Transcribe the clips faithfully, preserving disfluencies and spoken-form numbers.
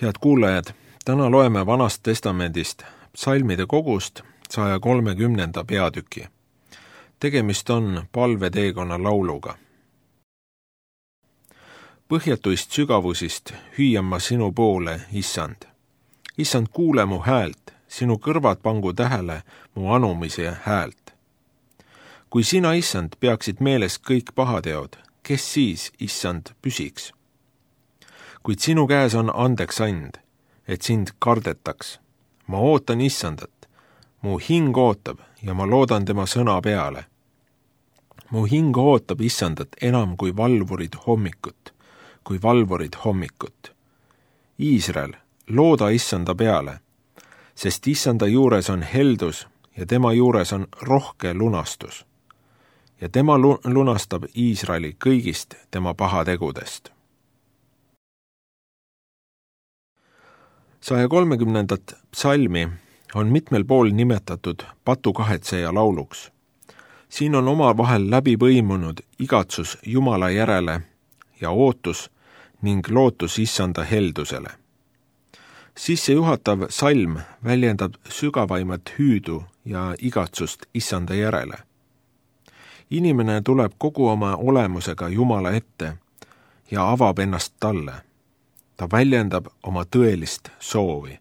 Head kuulajad, täna loeme Vanast testamendist psalmide kogust saja kolmekümnenda peatüki. Tegemist on palveteekonna lauluga. Põhjatuist sügavusist hüüan ma sinu poole, Issand. Issand, kuule mu häält, sinu kõrvad pangu tähele mu anumise häält. Kui sina, Issand, peaksid meeles kõik pahateod, kes siis, Issand, püsiks? Kuid sinu käes on andeks and, et sind kardetaks. Ma ootan Issandat, mu hing ootab ja ma loodan tema sõna peale. Mu hing ootab Issandat enam kui valvurid hommikut, kui valvurid hommikut. Iisrael, looda Issanda peale, sest Issanda juures on heldus ja tema juures on rohke lunastus. Ja tema lunastab Iisraeli kõigist tema pahategudest. saja kolmekümnendat psalmi on mitmel pool nimetatud patukahetseja lauluks. Siin on omavahel läbi põimunud igatsus Jumala järele ja ootus ning lootus Issanda heldusele. Sissejuhatav salm väljendab sügavaimat hüüdu ja igatsust Issanda järele. Inimene tuleb kogu oma olemusega Jumala ette ja avab ennast talle. Ta väljendab oma tõelist soovi.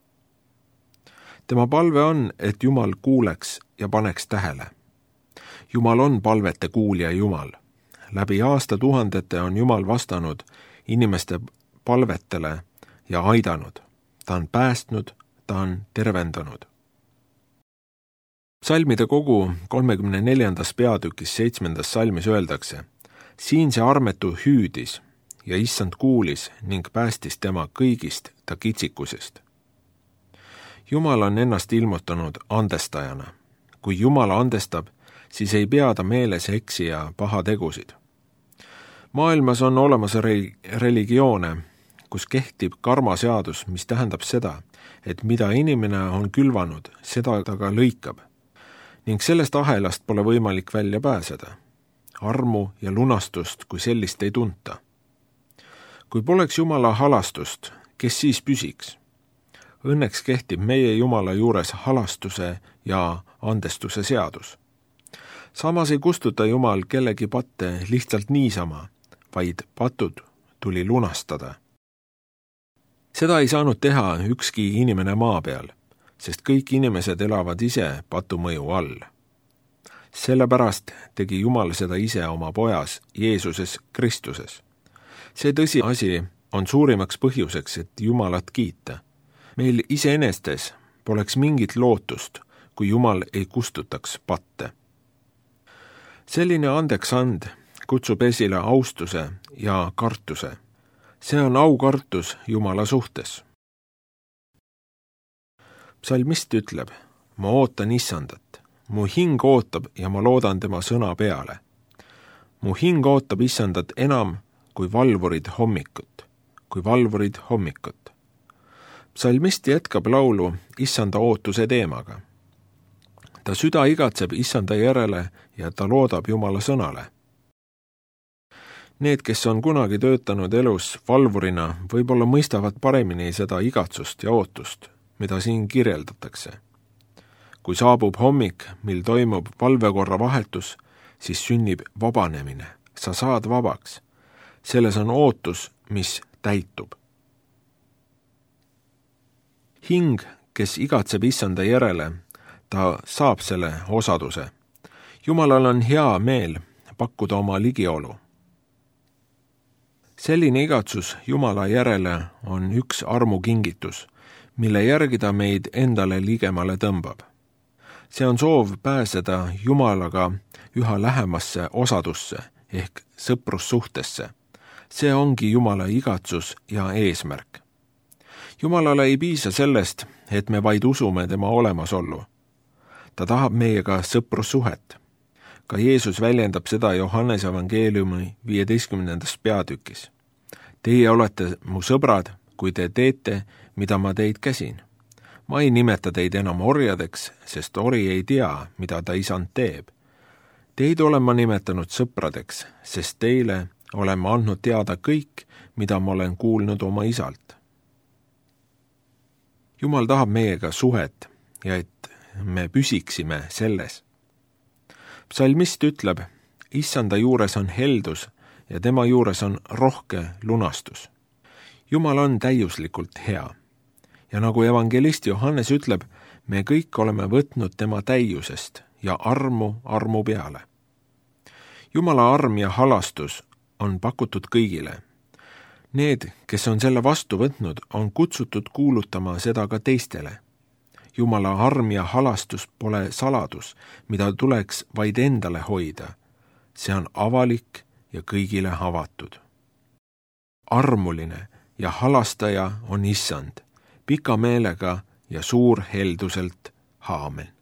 Tema palve on, et Jumal kuuleks ja paneks tähele. Jumal on palvete kuulja Jumal. Läbi aastatuhandete on Jumal vastanud inimeste palvetele ja aidanud. Ta on päästnud, ta on tervendanud. Psalmide kogu kolmekümne neljandas peatükis seitsmendas salmis öeldakse: siin see armetu hüüdis ja Issand kuulis ning päästis tema kõigist ta kitsikusest. Jumal on ennast ilmutanud andestajana. Kui Jumal andestab, siis ei pea ta meeles eksija pahategusid. Maailmas on olemas religioone, kus kehtib karmaseadus, mis tähendab seda, et mida inimene on külvanud, seda ta ka lõikab. Ning sellest ahelast pole võimalik välja pääseda. Armu ja lunastust kui sellist ei tunta. Kui poleks Jumala halastust, kes siis püsiks? Õnneks kehtib meie Jumala juures halastuse ja andestuse seadus. Samas ei kustuta Jumal kellegi patte lihtsalt niisama, vaid patud tuli lunastada. Seda ei saanud teha ükski inimene maa peal, sest kõik inimesed elavad ise patu mõju all. Sellepärast tegi Jumal seda ise oma pojas Jeesuses Kristuses. See tõsiasi on suurimaks põhjuseks, et Jumalat kiita. Meil iseenestes poleks mingit lootust, kui Jumal ei kustutaks patte. Selline andeks and kutsub esile austuse ja kartuse. See on aukartus Jumala suhtes. Psalmist ütleb: ma ootan Issandat. Mu hing ootab ja ma loodan tema sõna peale. Mu hing ootab Issandat enam kui valvurid hommikut, kui valvurid hommikut. Psalmist jätkab laulu Issanda ootuse teemaga. Ta süda igatseb Issanda järele ja ta loodab Jumala sõnale. Need, kes on kunagi töötanud elus valvurina, võib-olla mõistavad paremini seda igatsust ja ootust, mida siin kirjeldatakse. Kui saabub hommik, mil toimub valvekorra vahetus, siis sünnib vabanemine. Sa saad vabaks. Selles on ootus, mis täitub. Hing, kes igatseb Issanda järele, ta saab selle osaduse. Jumalal on hea meel pakkuda oma ligiolu. Selline igatsus Jumala järele on üks armukingitus, mille järgi ta meid endale ligemale tõmbab. See on soov pääseda Jumalaga üha lähemasse osadusse ehk sõprussuhtesse. See ongi Jumala igatsus ja eesmärk. Jumalale ei piisa sellest, et me vaid usume tema olemasollu. Ta tahab meiega sõprussuhet. Ka Jeesus väljendab seda Johannese evangeeliumi viieteistkümnendas peatükis. Teie olete mu sõbrad, kui te teete, mida ma teid käsin. Ma ei nimeta teid enam orjadeks, sest ori ei tea, mida ta isand teeb. Teid olen ma nimetanud sõpradeks, sest teile olen ma andnud teada kõik, mida ma olen kuulnud oma isalt. Jumal tahab meiega suhet ja et me püsiksime selles. Psalmist ütleb, issanda juures on heldus ja tema juures on rohke lunastus. Jumal on täiuslikult hea. Ja nagu evangelist Johannes ütleb, me kõik oleme võtnud tema täiusest ja armu armu peale. Jumala arm ja halastus on pakutud kõigile. Need, kes on selle vastu võtnud, on kutsutud kuulutama seda ka teistele. Jumala arm ja halastus pole saladus, mida tuleks vaid endale hoida. See on avalik ja kõigile avatud. Armuline ja halastaja on issand, pika meelega ja suur helduselt. Aamen.